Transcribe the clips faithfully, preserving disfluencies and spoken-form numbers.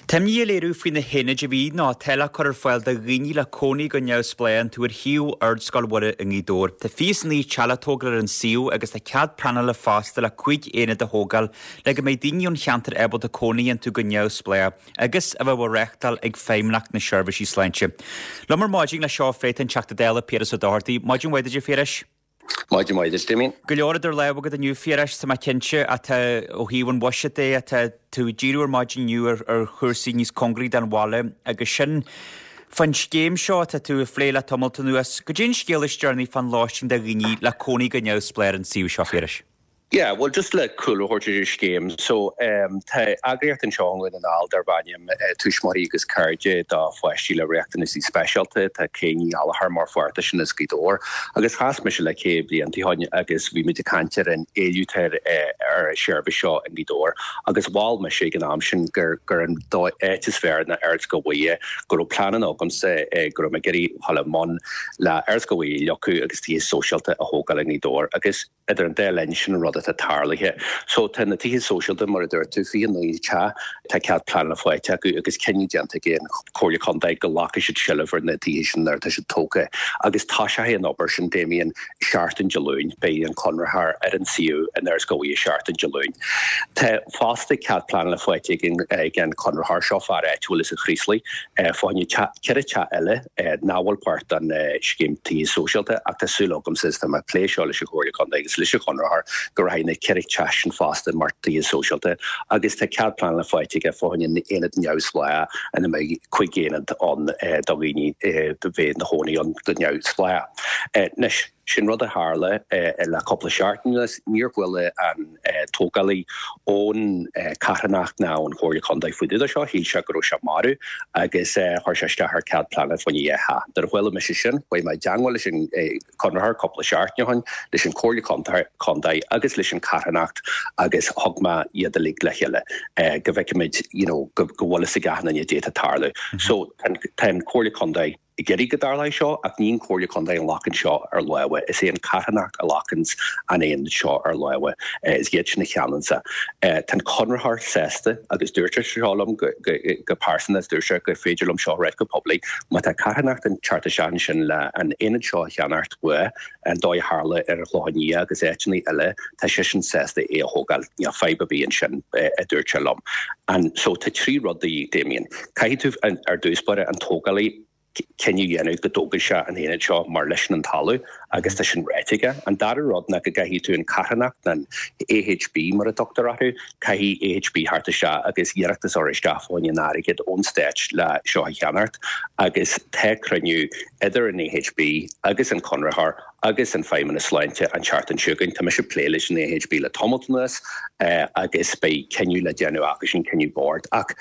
Tá imní á léiriú faoi na haonaid a bhí nó atá le cur ar fáil do dhaoine le cónaí go neamhspleách iontu ar shuíomh Ardscoil Mhuire i nGaoth Dobhair. Tá fiche is naoi teach le tógáil ar an suíomh agus tá cead pleanála fosta le cúig aonad a thógáil le go mbeidh daoine ón cheantar ábalta cónaí iontu go neamhspleách agus a bheith á reáchtáil ag Feidhmeannacht na Seirbhísí Sláinte. Liom ar maidin le seo a phlé tá an Teachta Dála Piaras Ó Dochartaigh. Maidin mhaith duit a Phiarais. Maidin mhaith duit, Damien. Go leor idir lámha agat inniu Phiarais, tá mé cinnte atá ó thaobh an bhuiséid de atá tú ag díriú ar maidin inniu ar, ar chúrsaí níos cóngaraí don bhaile agus sin fán scéim seo atá tú ag plé le tamalt anuas. Goidé an scéal is deireanaí fán lóistín do dhaoine le cónaí go neamhspleách ar an suíomh seo Phiarais. Yeah, well just le cúl a thabhairt ar scéim. So um, tá eagraíocht anseo i nDún na nGall darb ainm uh, Tuismitheoirí agus Cairde do pháistí le riachtanaisí speisialta tá Kay Ní Ghallchóir mar pháirt sin as Gaoth Dobhair. agus chas mise le Kay blianta ó shin agus bhí muid ag caint ar an éileamh ar ar an seirbhís seo in Gaoth Dobhair agus mhol mise ag an am sin gur gur an áit is fearr ná Ardscoil Mhuire go raibh plean agamsa eh, go raibh mé ag iarraidh dul i mbun le Ardscoil Mhuire a fhliuchadh agus tithe sóisialta a thógáil in Gaoth Dobhair agus idir an dá linn sin an rud atá tarlaithe. So tá na tithe sóisialta mar a dúirt tú fiche naoi teach tá cead pleanála faighte acu agus cinneadh déanta ag an Chomhairle Contae go nglacfaidh siad seilbh ar na tithe sin nuair atá siad tógtha. agus tá sé an obair sin Damien seachtain Dé Luain beidh an conraitheoir ar an suíomh in Ardscoil Mhuire seachtain Dé Luain. Tá fosta cead pleanála faighte ag an conraitheoir seo fear áitiúil as an Chraoslaigh fá choinne ceithre teach eile nach bhfuil páirt den scéim tithe sóisialta ach tá súil agam tá mé ag plé seo leis an Chomhairle Contae agus leis an chonraitheoir go rachaidh na ceithre teach sin fosta mar tithe sóisialta agus tá cead pleanála faighte aige fá choinne aonad neamhspleách ina mbeidh cúig aonad ann do dhaoine do bheith ina gcónaí ann go neamhspleách. Anois sin rud a tharla le cúpla seachtain níor chuala an tógálaí ón carthanacht ná ón Chomhairle Contae faoi deara seo shíl sé go raibh sé marbh agus chuir sé isteach ar cead pleanála fá choinne dhá theach. Nuair a chuala mise sin chuaigh mé i dteagmháil leis an conraitheoir cúpla seachtain ó shin leis an Chomhairle Contae agus leis an carthanacht agus thug mé iad uilig le chéile go bhfeicfimid you know, go bhfuil is a gcean déata tarlú. So tá an Chomhairle Contae ag iarraidh go dtarlóidh seo ach ní an Chomhairle Contae a ghlacann seo ar láimh is é an carthanacht a ghlacann an aonad seo ar láimh is iad sin a cheannaíonn. Tá an conraitheoir sásta agus dúirt seo liom go pearsanta dúirt sé gur féidir liom seo rá go poiblí, má tá carthanacht ag teacht isteach sin le an aonad seo a cheannacht uaidh an dóigh a tharla ar an Chlochán Liath agus áiteanna eile tá sé sin sásta é a thógáil níl fadhb ar bith ansin a dúirt sé liom. An so tá trí rudaí Damien. Caithfidh tú ar dtús báire an tógálaí cinneadh a dhéanamh go dtógfaidh sé an aonad seo mar leis an talamh agus tá sin réitithe aige. An dara rud ná go gcaithfidh tú an carthanacht an AHB mar a tugtar orthu, caithfidh AHB teacht isteach agus iarratas a chur isteach fá choinne an airgead ón stát le seo a cheannacht agus tá cruinniú idir an AHB agus an conraitheoir agus an Feidhmeannas Sláinte an tseachtain seo chugainn. Tá mise ag plé leis an AHB le tamall anuas agus beidh cinneadh le déanamh acu sin cinneadh boird ach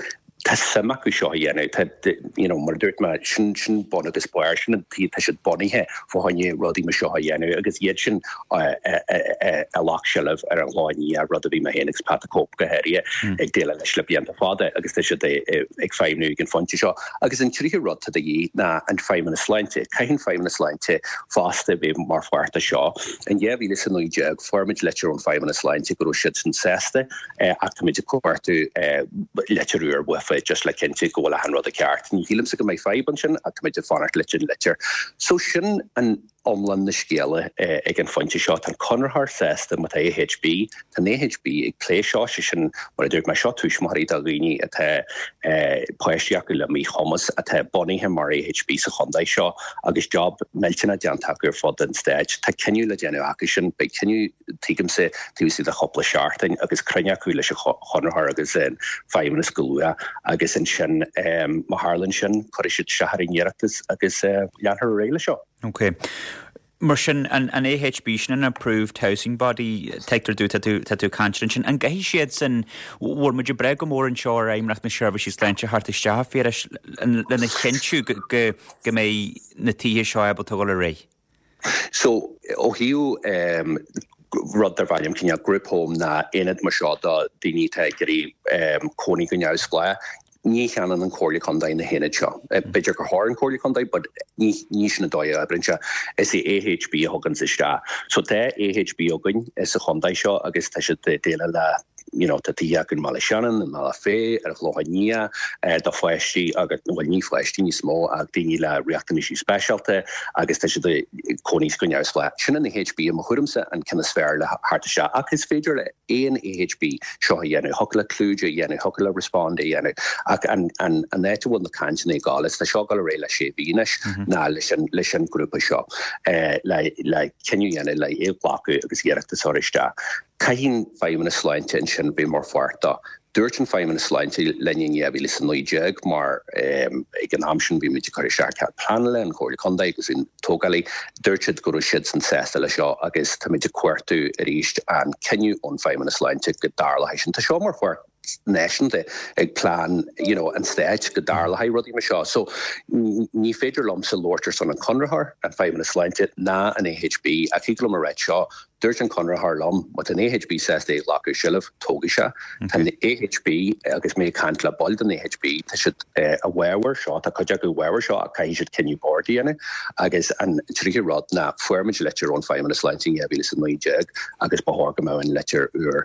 tá suim acu seo a dhéanamh you know, mar dúirt mé sin sin bun agus barr sin tá siad bunaithe fá choinne rudaí mar seo a dhéanamh agus iad sin a ghlac seilbh ar an Chlochán Liath rud a bhí mé féin agus Pat Cope go háirithe ag déileáil leis le blianta fada agus tá siad ag feidhmiú ag an phointe seo. Agus an tríú rud atá de dhíth ná an Feidhmeannas Sláinte, Caithfidh an Feidhmeannas Sláinte fosta bheith mar pháirt de seo. In dhá mhíle is a naoi déag fuair muid litir ón Feidhmeannas Sláinte go raibh siad sin sásta ach táimid ag cuartú litir úr uafa just le cinnte go bhfuil an rud ceart. Ní shílimse go mbeidh fadhb ansin ach táimid ag fanacht leis an litir. So sin an iomlán na scéala ag an phointe seo tá conraitheoir sásta má tá AHB Tá AHB ag plé seo sé sin mar a dúirt mé seo tuismitheoirí do dhaoine atá páistí acu le míchumas atá bunaithe mar AHB sa chontae seo agus job millteanach déanta acu ar fud an stáit. Tá cinneadh le déanamh acu sin beidh cinneadh tuigimse taobh istigh de chúpla seachtain agus cruinniú acu leis an chonraitheoir agus an feidhmeannas go luath agus ansin má tharlaíonn sin cuirfidh siad isteach ar an iarratas agus leanfar ar aghaidh leis seo. Ok. Mar sin an, an AHB sin an Approved Housing Body tuigtear domh tá tú caint sin an gcaithfidh siad sin bhfuil muid ag brath go mór anseo ar Fheidhmeannacht na Seirbhísí Sláinte teacht isteach Phiarais lena chinntiú go go mbeidh na tithe seo ábalta dul ar aghaidh. So ó thaobh um, rud darb ainm cineál group home ná aonad mar seo do daoine atá ag iarraidh um, cónaí go neamhspleách. Ní cheannaíonn an Chomhairle Contae na haonaid seo. B'fhéidir gur chóir an Chomhairle Contae, but ní ní sin an dóigh a oibríonn sé. Is é AHB a thugann isteach. So tá AHB againn sa chontae seo agus tá siad déileáil le you know, tá tithe acu i mBaile Shannon, i mBealach Féich, ar an Chlochán Liath, do pháistí agus, bhuel ní pháistí níos mó ach daoine le riachtanaisí speisialta agus tá siad ag cónaí go neamhspleách. Sin an AHB i mo thuairimse an ceann is fearr le theacht isteach ach is féidir le aon AHB seo a dhéanamh, thiocfadh le Clúid a dhéanamh, thiocfadh le Respond a dhéanamh ach an an an áit a bhfuil na cainteanna ag gabháil is tá seo ag dul ar aghaidh le sé mhí anois ná leis an leis an grúpa seo le le cinneadh a dhéanamh le é a ghlacadh agus iarratas a chur isteach. Caithfidh an Feidhmeannas Sláinte ansin bheith mar pháirt dó. Dúirt an Feidhmeannas Sláinte linn in dhá mhíle is a naoi déag mar ag an am sin bhí muid ag cur isteach cead pleanála, an Chomhairle Contae agus an tógálaí, dúirt siad go raibh siadsan sásta leis seo agus táimid ag cuartú arís an cinneadh ón Feidhmeannas Sláinte go dtarlóidh sin. Tá seo mar pháirt náisiúnta ag plean you know, an stáit go dtarlóidh rudaí mar seo. So ní féidir liomsa labhairt ar son an conraitheoir, an Feidhmeannas Sláinte ná an AHB ach thig liom a ráit seo, dúirt an conraitheoir liom, má tá an AHB sásta é a ghlacadh i seilbh, tógfaidh sé. Tá an AHB agus mé ag caint le baill den AHB, tá siad i bhfabhar seo, tá cuid acu i bhfabhar seo ach caithfidh siad cinneadh boird a dhéanamh agus an tríú rud ná fuair muid litir ón Feidhmeannas Sláinte in dhá mhíle is a naoi déag agus ba chóir go mbeadh an litir úr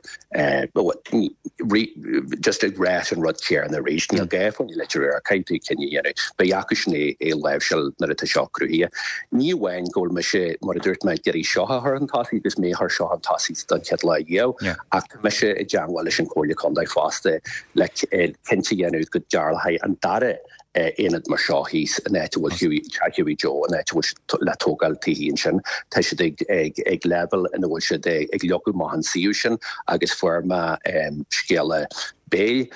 just ag rá an rud céanna arís. Níl gá fá litir úr, caithfidh tú cinneadh a dhéanamh. Beidh acusan é a láimhseáil nuair atá seo cruthaithe. Ní amháin go bhfuil mise, mar a dúirt mé, ag iarraidh seo a chur chun tosaigh agus mé a chur seo chun tosaigh don chéad lá riamh, ach tá mise i dteangmháil leis an Chomhairle Contae fosta le cinnte a dhéanamh go dtarlóidh an dara aonad mar seo thíos in áit a bhfuil Hughie, Teach Hughie Joe, in áit a bhfuil siad le tógáil tithe ansin. Tá siad ag, ag, ag leibhéal ina bhfuil siad ag, ag leagadh amach an suíomh sin agus fuair mé scéala béil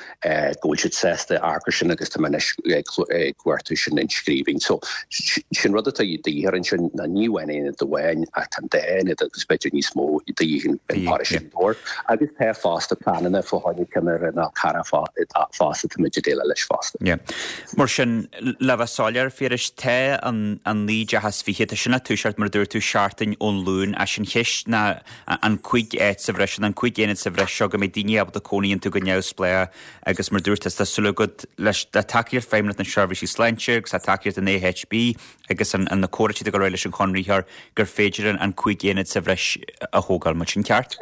go bhfuil siad sásta amharc air sin agus tá mé anois ag cuartú sin in scríbhinn. So sin rud atá de dhíth ansin ná ní amháin aonad amháin ach tá an dá aonad agus b'fhéidir níos mó de dhíth in paróiste Ghaoth Dobhair. Agus tá fosta pleananna fá choinne ceann ar an Fhál Carrach fosta tá muid ag déileáil leis fosta. Yeah. Mar sin, le bheith soiléir, Phiarais, tá an an naoi dteach is fiche, tá sin ag toiseacht mar a dúirt tú seachtain ón Luan, ach an cheist ná an cúig áit sa bhreis, an cúig aonad sa bhreis seo go mbeidh daoine ábalta cónaí iontu go neamhspleách agus mar dúirt tá súil agat leis le tacaíocht Feidhmeannacht na Seirbhísí Sláinte agus le tacaíocht an AHB agus an, an na comhráite go raibh leis an chonraitheoir gur féidir an, an cúig aonad sa bhreis a thógáil, mar sin ceart?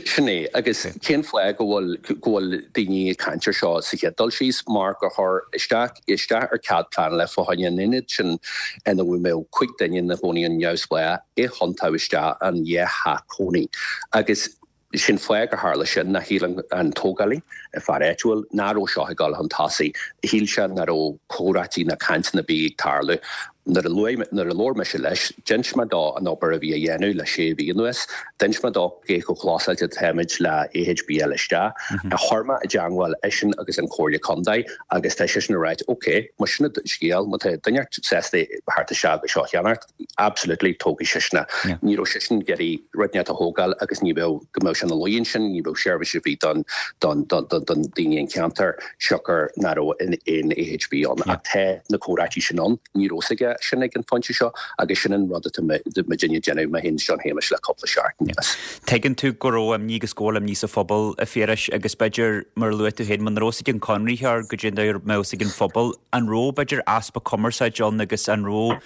Sin é, agus cén fáth go bhfuil go bhfuil daoine ag caint ar seo sa chéad dul síos mar gur chuir isteach isteach ar cead pleanála fá choinne an ionad sin ina bhfuil cúig duine ina gcónaí go neamhspleách i thiontú isteach an dhá theach cónaí agus sin fáth gur tharla sin ná shíl an tógálaí, fear áitiúil, nach raibh seo ag dul chun tosaigh. Shíl sé nach raibh comhráití ná cainteanna ar bith ag tarlú. Nuair a luaigh, nuair a labhair mise leis, d'inis mé dó an obair a bhí á dhéanamh le sé mhí anuas, d'inis mé dó cé chomh clósáilte atáimid le AHB a fháil isteach, chuir mé i dteangmháil eisean agus an Chomhairle Contae agus tá seisean ag ráit ok, má sin an scéal, má tá duine sásta theacht isteach agus seo a cheannacht, absolutely tógfaidh seisean é. Ní raibh seisean ag iarraidh rud inteacht a thógáil agus ní bheadh, go mbeadh sé ina luí ansin, ní bheadh seirbhís ar bith don, don, don, don, don daoine an ceantar siocair nach raibh aon AHB ann. Ach tá na comhráití sin ann, ní raibh fhios aige sin ag an phointe seo agus sin an rud atá muidinne ag déanamh, mé féin is John Shéamais le cúpla seachtain anuas. Tuigeann tú go raibh imní agus go bhfuil imní sa phobal, a Phiarais, agus b'fhéidir, mar a luaigh tú féin, muna raibh fhios ag an conraitheoir goidé nach mbeadh fhios ag an phobal, an raibh, b'fhéidir, easpa cumarsáide ann agus an raibh,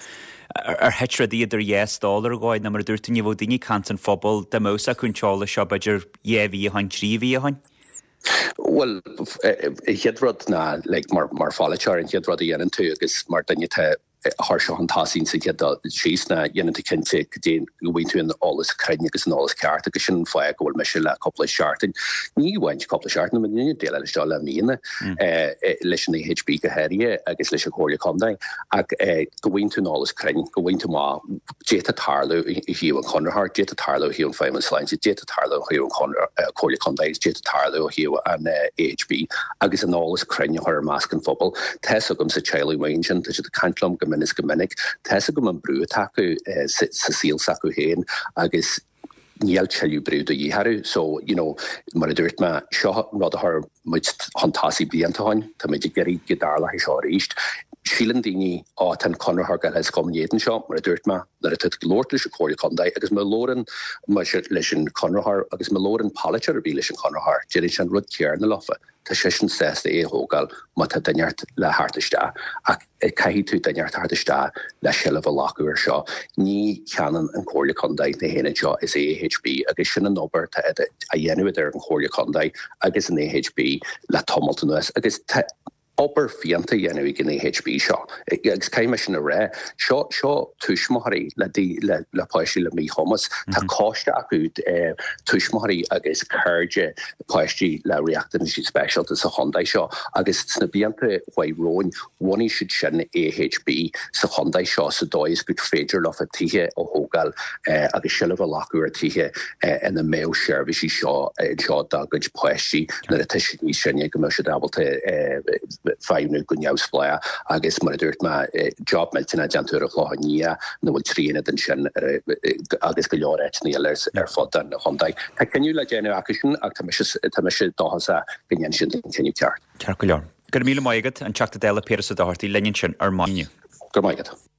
ar thit rudaí idir dhá stól ar dhóigh, nó mar a dúirt tú, ní bheadh daoine ag caint an phobail, dá mbeadh fhios acu an t-eolas seo, b'fhéidir, dhá mhí ó shin, trí mhí ó shin? Bhuel, an chéad rud ná, like, mar, mar pholaiteoir, an chéad rud a dhéanann tú agus mar duine atá a chuir seo chun tosaigh sa chéad dul síos ná dhéanann tú cinnte go dtéann, go bhfaigheann tú an eolas cruinn agus an eolas ceart agus sin an fáth go bhfuil mise le cúpla seachtain, ní amháin cúpla seachtain, tá muidinne ag déileáil leis seo le míonna, leis an AHB go háirithe agus leis an Chomhairle Contae ach go bhfaigheann tú an eolas cruinn, go bhfaigheann tú amach caidé atá ag tarlú ó thaobh an chonraitheoir, caidé atá ag tarlú ó thaobh an Feidhmeannas Sláinte, caidé atá ag tarlú ó thaobh an Chomhairle Contae agus caidé atá ag tarlú ó thaobh an AHB agus an eolas cruinn a chur i measc an phobail. Tá fhios agamsa teaghlaigh amuigh ansin, tá siad ag caint liom go mion is go minic, tá fhios agam an brú atá acu sa saol s'acu féin agus níl tuilleadh brú de dhíth orthu. So, you know, mar a dúirt mé, seo rud a chuir muid chun tosaigh blianta ó shin, tá muid ag iarraidh go dtarlóidh seo arís. Síleann daoine, Á, tá an conraitheoir ag gabháil ina éadan seo, mar a dúirt mé, nuair atá tú ag labhairt leis an Chomhairle Contae agus má labhrann mise leis an chonraitheoir agus má labhrann polaiteoir ar bith leis an chonraitheoir, déarfaidh sé an rud céanna leofa, tá seisean sásta é a thógáil má tá duine inteacht le theacht isteach. Ach caithfidh tú duine inteacht a theacht isteach le seilbh a ghlacadh air seo. Ní cheannaíonn an Chomhairle Contae na haonaid seo, is AHB agus sin an obair atá á dhéanamh idir an Chomhairle Contae agus an AHB le tamalt anuas agus tá obair fiúntach á dhéanamh ag an AHB seo agus caithfidh mé sin a rá, seo seo tuismitheoirí le le le páistí le míchumas, tá coiste acu tuismitheoirí agus cairde páistí le riachtanaisí speisialta sa chontae seo agus sna blianta uaidh romhainn bhunaigh siad sin AHB sa chontae seo sa dóigh is gur féidir leofa tithe a thógáil agus seilbh a ghlacadh ar tithe ina mbeadh seirbhísí seo anseo dá gcuid páistí nuair atá siad níos sine go mbeadh siad ábalta feidhmiú go neamhspleách agus mar a dúirt mé job millteanach déanta ar an Chlochán Liath ina bhfuil trí aonad ansin agus go leor áiteanna eile ar fud an chontae. Tá cinneadh le déanamh acu sin ach tá mise tá mise dóchasach go ndéanfaidh siad an cinneadh ceart. Ceart go leor. Go raibh míle maith agat, an Teachta Dála Piaras Ó Dochartaigh linn ansin ar maidin. Go raibh maith agat.